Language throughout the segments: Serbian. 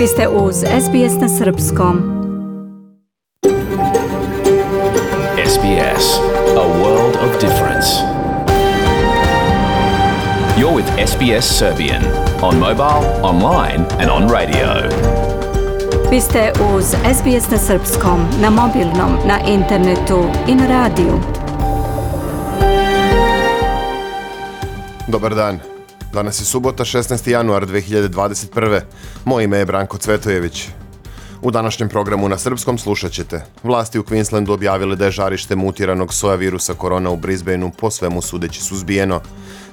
Vi ste uz SBS na Srpskom. SBS, a world of difference. You're with SBS Serbian on mobile, online and on radio. Vi ste uz SBS na Srpskom, na mobilnom, na internetu i na radiju. Dobar dan. Danas je subota, 16. januar 2021. Moje ime je Branko Cvetojević. U današnjem programu na srpskom slušat ćete. Vlasti u Queenslandu objavile da je žarište mutiranog soja virusa korona u Brisbaneu po svemu sudeći suzbijeno.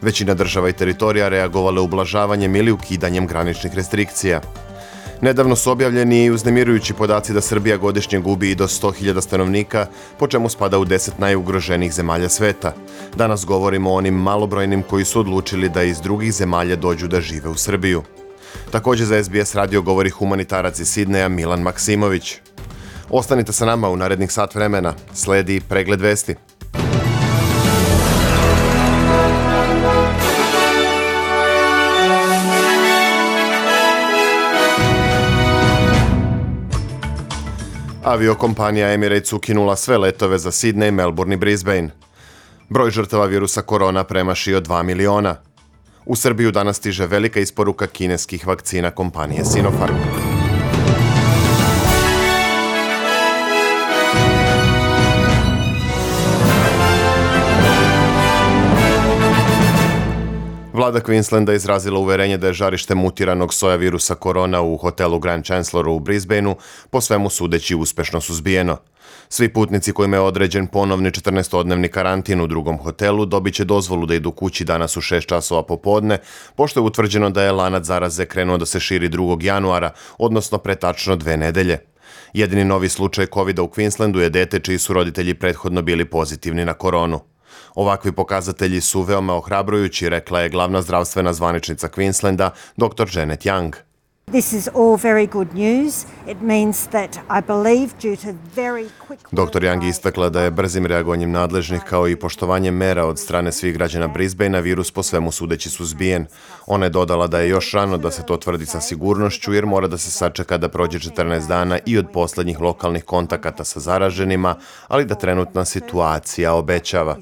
Većina država i teritorija reagovale ublažavanjem ili ukidanjem graničnih restrikcija. Nedavno su objavljeni i uznemirujući podaci da Srbija godišnje gubi i do 100.000 stanovnika, po čemu spada u 10 najugroženijih zemalja sveta. Danas govorimo o onim malobrojnim koji su odlučili da iz drugih zemalja dođu da žive u Srbiju. Također za SBS radio govori humanitarac iz Sidneja Milan Maksimović. Ostanite sa nama u narednih sat vremena. Sledi pregled vesti. Aviokompanija Emirates ukinula sve letove za Sidney, Melbourne i Brisbane. Broj žrtava virusa korona premašio 2 miliona. U Srbiju danas stiže velika isporuka kineskih vakcina kompanije Sinopharm. Vlada Queenslanda izrazila uverenje da je žarište mutiranog soja virusa korona u hotelu Grand Chancelloru u Brisbaneu po svemu sudeći uspešno suzbijeno. Svi putnici kojima je određen ponovni 14-dnevni karantin u drugom hotelu dobit će dozvolu da idu kući danas u 6 časova popodne, pošto je utvrđeno da je lanac zaraze krenuo da se širi 2. januara, odnosno pre tačno 2 nedelje. Jedini novi slučaj COVID-a u Queenslandu je dete čiji su roditelji prethodno bili pozitivni na koronu. Ovakvi pokazatelji su veoma ohrabrujući, rekla je glavna zdravstvena zvaničnica Queenslanda, dr. Janet Young. This is all very good news. It means that I believe due to very quick... Dr. Young istakla da je brzim reagovanjem nadležnih kao i poštovanjem mera od strane svih građana Brisbanea virus po svemu sudeći suzbijen. Ona je dodala da je još rano da se to tvrdi sa sigurnošću jer mora da se sačeka da prođe 14 dana i od poslednjih lokalnih kontakata sa zaraženima, ali da trenutna situacija obećava.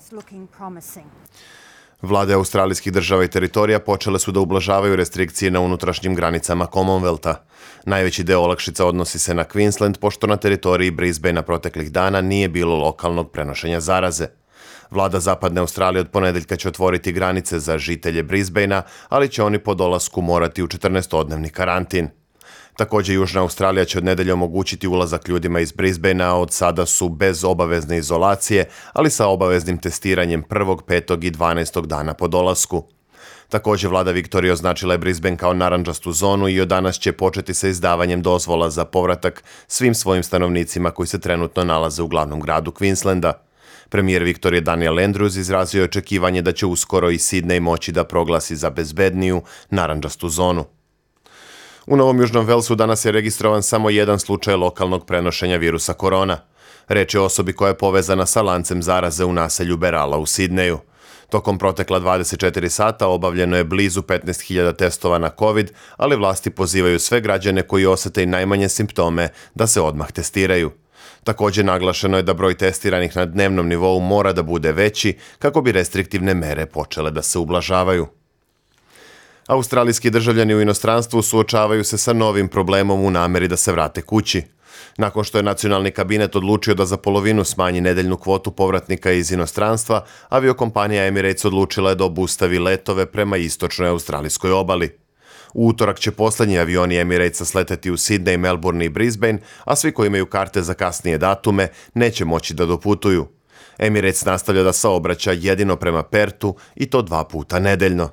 Vlade australijskih država i teritorija počele su da ublažavaju restrikcije na unutrašnjim granicama Commonwealtha. Najveći deo olakšica odnosi se na Queensland, pošto na teritoriji Brisbanea proteklih dana nije bilo lokalnog prenošenja zaraze. Vlada Zapadne Australije od ponedeljka će otvoriti granice za žitelje Brisbanea, ali će oni po dolasku morati u 14-dnevni karantin. Također, Južna Australija će od nedelje omogućiti ulazak ljudima iz Brisbanea, od sada su bez obavezne izolacije, ali sa obaveznim testiranjem 1., 5. i 12. dana po dolasku. Također, vlada Viktorije označila je Brisbane kao narandžastu zonu i od danas će početi sa izdavanjem dozvola za povratak svim svojim stanovnicima koji se trenutno nalaze u glavnom gradu Queenslanda. Premijer Viktorije Daniel Andrews izrazio je očekivanje da će uskoro i Sidney moći da proglasi za bezbedniju narandžastu zonu. U Novom Južnom Walesu danas je registrovan samo jedan slučaj lokalnog prenošenja virusa korona. Reč je o osobi koja je povezana sa lancem zaraze u naselju Berala u Sidneju. Tokom protekla 24 sata obavljeno je blizu 15.000 testova na COVID, ali vlasti pozivaju sve građane koji osete i najmanje simptome da se odmah testiraju. Također naglašeno je da broj testiranih na dnevnom nivou mora da bude veći kako bi restriktivne mere počele da se ublažavaju. Australijski državljani u inostranstvu suočavaju se sa novim problemom u nameri da se vrate kući. Nakon što je nacionalni kabinet odlučio da za polovinu smanji nedeljnu kvotu povratnika iz inostranstva, aviokompanija Emirates odlučila je da obustavi letove prema istočnoj australijskoj obali. U utorak će poslednji avioni Emiratesa sleteti u Sidney, Melbourne i Brisbane, a svi koji imaju karte za kasnije datume neće moći da doputuju. Emirates nastavlja da saobraća jedino prema Pertu i to 2 puta nedeljno.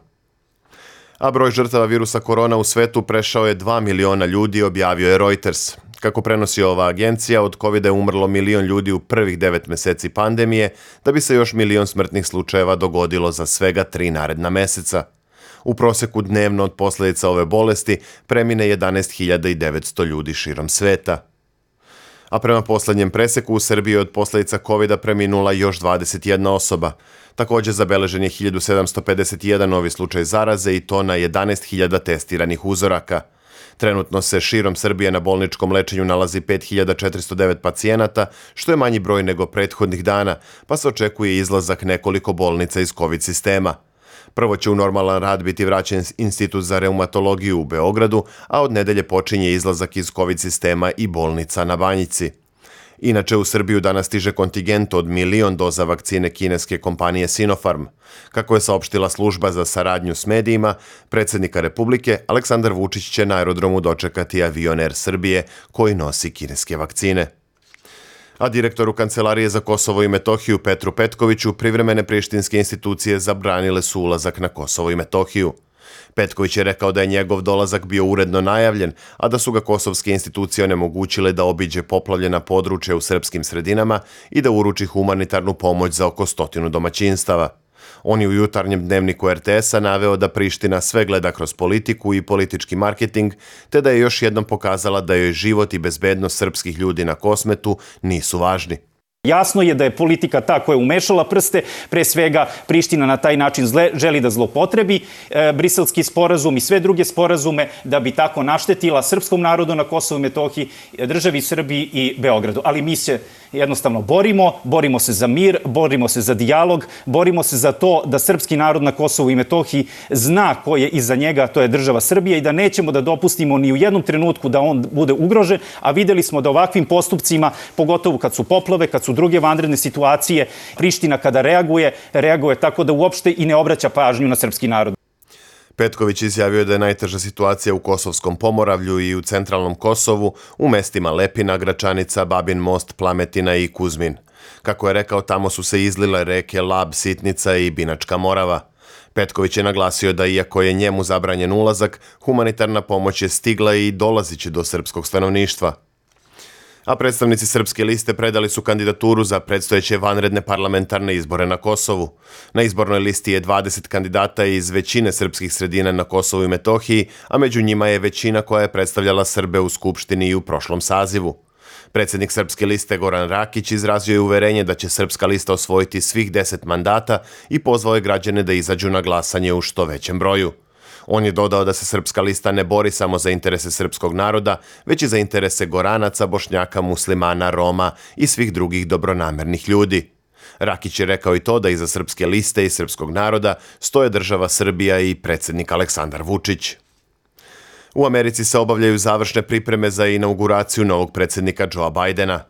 A broj žrtava virusa korona u svetu prešao je 2 miliona ljudi, objavio je Reuters. Kako prenosi ova agencija, od COVID-a je umrlo 1 milion ljudi u prvih 9 meseci pandemije, da bi se još 1 milion smrtnih slučajeva dogodilo za svega 3 naredna meseca. U proseku dnevno od posljedica ove bolesti premine 11.900 ljudi širom sveta. A prema posljednjem preseku u Srbiji od posljedica COVID-a preminula još 21 osoba. Također zabeležen je 1751 novi slučaj zaraze i to na 11.000 testiranih uzoraka. Trenutno se širom Srbije na bolničkom lečenju nalazi 5409 pacijenata, što je manji broj nego prethodnih dana, pa se očekuje izlazak nekoliko bolnica iz COVID sistema. Prvo će u normalan rad biti vraćen Institut za reumatologiju u Beogradu, a od nedelje počinje izlazak iz COVID sistema i bolnica na Banjici. Inače, u Srbiju danas stiže kontingent od 1.000.000 doza vakcine kineske kompanije Sinopharm. Kako je saopštila služba za saradnju s medijima, predsjednika Republike Aleksandar Vučić će na aerodromu dočekati avion Air Srbije koji nosi kineske vakcine. A direktoru Kancelarije za Kosovo i Metohiju Petru Petkoviću privremene prištinske institucije zabranile su ulazak na Kosovo i Metohiju. Petković je rekao da je njegov dolazak bio uredno najavljen, a da su ga kosovske institucije onemogućile da obiđe poplavljena područja u srpskim sredinama i da uruči humanitarnu pomoć za oko 100 domaćinstava. On je u jutarnjem dnevniku RTS-a naveo da Priština sve gleda kroz politiku i politički marketing, te da je još jednom pokazala da joj život i bezbednost srpskih ljudi na Kosmetu nisu važni. Jasno je da je politika ta koja je umešala prste, pre svega Priština na taj način želi da zlopotrebi Briselski sporazum i sve druge sporazume da bi tako naštetila srpskom narodu na Kosovu i Metohiji, državi Srbiji i Beogradu. Ali mi se jednostavno borimo se za mir, borimo se za dijalog, borimo se za to da srpski narod na Kosovu i Metohiji zna ko je iza njega, to je država Srbija, i da nećemo da dopustimo ni u jednom trenutku da on bude ugrožen, a videli smo da ovakvim postupcima, pogotovo kad su poplave, kad su druge vanredne situacije, Priština kada reaguje tako da uopšte i ne obraća pažnju na srpski narod. Petković izjavio da je najteža situacija u Kosovskom Pomoravlju i u centralnom Kosovu, u mestima Lepina, Gračanica, Babin Most, Plametina i Kuzmin. Kako je rekao, tamo su se izlile reke Lab, Sitnica i Binačka Morava. Petković je naglasio da iako je njemu zabranjen ulazak, humanitarna pomoć je stigla i dolaziće do srpskog stanovništva. A predstavnici Srpske liste predali su kandidaturu za predstojeće vanredne parlamentarne izbore na Kosovu. Na izbornoj listi je 20 kandidata iz većine srpskih sredina na Kosovu i Metohiji, a među njima je većina koja je predstavljala Srbe u Skupštini i u prošlom sazivu. Predsjednik Srpske liste Goran Rakić izrazio je uverenje da će Srpska lista osvojiti svih 10 mandata i pozvao je građane da izađu na glasanje u što većem broju. On je dodao da se Srpska lista ne bori samo za interese srpskog naroda, već i za interese Goranaca, Bošnjaka, Muslimana, Roma i svih drugih dobronamernih ljudi. Rakić je rekao i to da iza Srpske liste i srpskog naroda stoje država Srbija i predsjednik Aleksandar Vučić. U Americi se obavljaju završne pripreme za inauguraciju novog predsjednika Joea Bidena.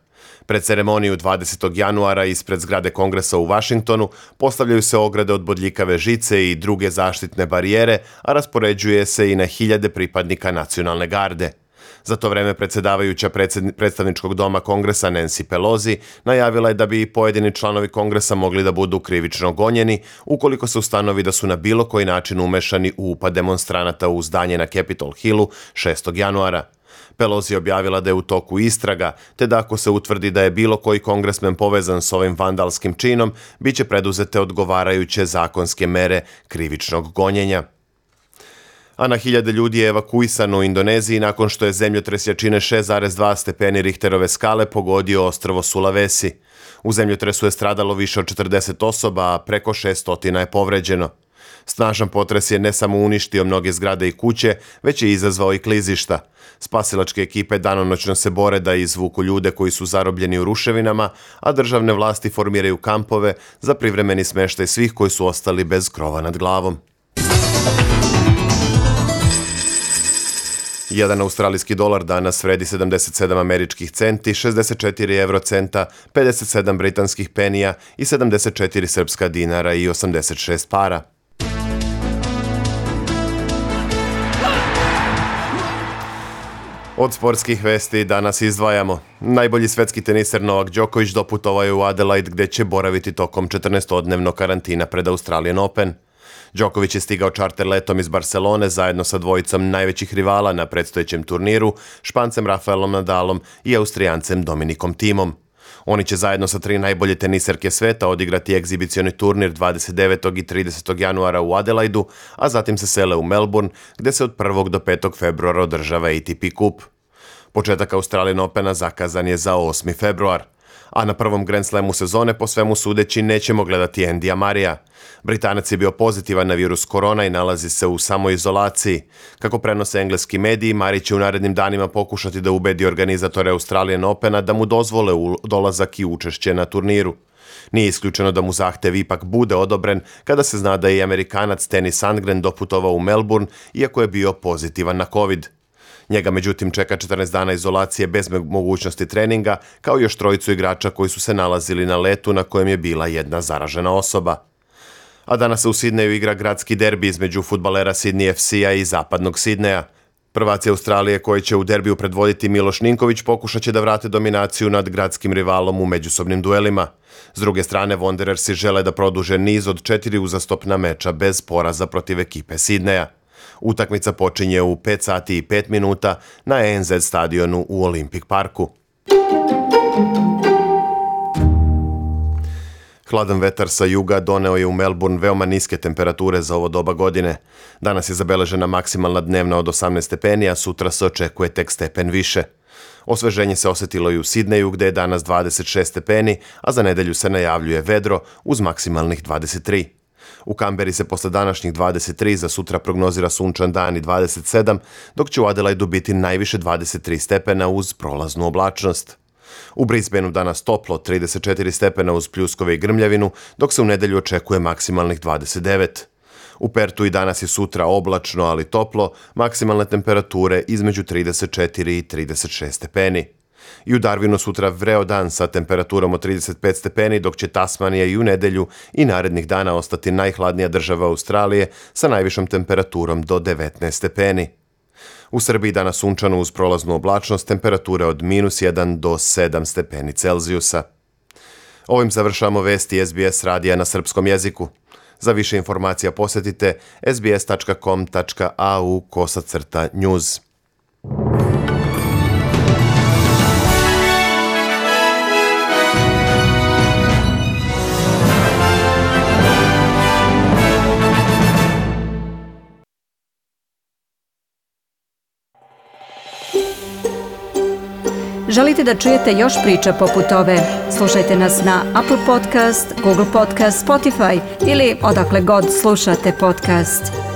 Pred ceremoniju 20. januara ispred zgrade Kongresa u Vašingtonu postavljaju se ograde od bodljikave žice i druge zaštitne barijere, a raspoređuje se i na hiljade pripadnika nacionalne garde. Za to vreme predsjedavajuća predstavničkog doma Kongresa Nancy Pelosi najavila je da bi pojedini članovi Kongresa mogli da budu krivično gonjeni ukoliko se ustanovi da su na bilo koji način umešani u upad demonstranata u zdanje na Capitol Hillu 6. januara. Pelosi je objavila da je u toku istraga, te da ako se utvrdi da je bilo koji kongresmen povezan s ovim vandalskim činom, bit će preduzete odgovarajuće zakonske mere krivičnog gonjenja. A na hiljade ljudi je evakuisano u Indoneziji nakon što je zemljotres jačine 6,2 stepeni Richterove skale pogodio ostrvo Sulawesi. U zemljotresu je stradalo više od 40 osoba, a preko 600 je povređeno. Snažan potres je ne samo uništio mnoge zgrade i kuće, već je izazvao i klizišta. Spasilačke ekipe danonoćno se bore da izvuku ljude koji su zarobljeni u ruševinama, a državne vlasti formiraju kampove za privremeni smeštaj svih koji su ostali bez krova nad glavom. Jedan australijski dolar danas vredi 77 američkih centi, 64 eurocenta, 57 britanskih penija i 74 srpska dinara i 86 para. Od sportskih vesti danas izdvajamo. Najbolji svetski teniser Novak Đoković doputovao je u Adelaide gdje će boraviti tokom 14-dnevnog karantina pred Australian Open. Đoković je stigao čarter letom iz Barcelone zajedno sa dvojicom najvećih rivala na predstojećem turniru, Špancem Rafaelom Nadalom i Austrijancem Dominikom Thimom. Oni će zajedno sa 3 najbolje teniserke sveta odigrati egzibicioni turnir 29. i 30. januara u Adelaidu, a zatim se sele u Melbourne, gdje se od 1. do 5. februara održava ATP kup. Početak Australian Opena zakazan je za 8. februar. A na prvom Grand Slamu sezone po svemu sudeći nećemo gledati Andyja Murraya. Britanac je bio pozitivan na virus korona i nalazi se u samoizolaciji. Kako prenose engleski mediji, Murray će u narednim danima pokušati da ubedi organizatore Australian Opena da mu dozvole dolazak i učešće na turniru. Nije isključeno da mu zahtev ipak bude odobren kada se zna da je i Amerikanac Tenny Sandgren doputovao u Melbourne, iako je bio pozitivan na COVID. Njega međutim čeka 14 dana izolacije bez mogućnosti treninga, kao i još trojicu igrača koji su se nalazili na letu na kojem je bila jedna zaražena osoba. A danas se u Sidneju igra gradski derbi između fudbalera Sydney FC-a i zapadnog Sidneja. Prvaci Australije koji će u derbiju predvoditi Miloš Ninković pokušat će da vrate dominaciju nad gradskim rivalom u međusobnim duelima. S druge strane, Wanderersi žele da produže niz od 4 uzastopna meča bez poraza protiv ekipe Sidneja. Utakmica počinje u 5 sati i 5 minuta na ANZ stadionu u Olympic Parku. Hladan vetar sa juga doneo je u Melbourne veoma niske temperature za ovo doba godine. Danas je zabeležena maksimalna dnevna od 18 stepeni, a sutra se očekuje tek stepen više. Osveženje se osetilo i u Sidneju gde je danas 26 stepeni, a za nedelju se najavljuje vedro uz maksimalnih 23. U Kamberi se posle današnjih 23 za sutra prognozira sunčan dan i 27, dok će u Adelaidu biti najviše 23 stepena uz prolaznu oblačnost. U Brisbaneu danas toplo, 34 stepena uz pljuskove i grmljavinu, dok se u nedelju očekuje maksimalnih 29. U Pertu i danas i sutra oblačno, ali toplo, maksimalne temperature između 34 i 36 stepeni. I u Darwinu sutra vreo dan sa temperaturom od 35 stepeni, dok će Tasmanija i u nedelju i narednih dana ostati najhladnija država Australije sa najvišom temperaturom do 19 stepeni. U Srbiji danas sunčano uz prolaznu oblačnost, temperature od -1 do 7 stepeni Celzijusa. Ovim završavamo vesti SBS radija na srpskom jeziku. Za više informacija posjetite sbs.com.au/news. Želite da čujete još priča poput ove? Slušajte nas na Apple Podcast, Google Podcast, Spotify ili odakle god slušate podcast.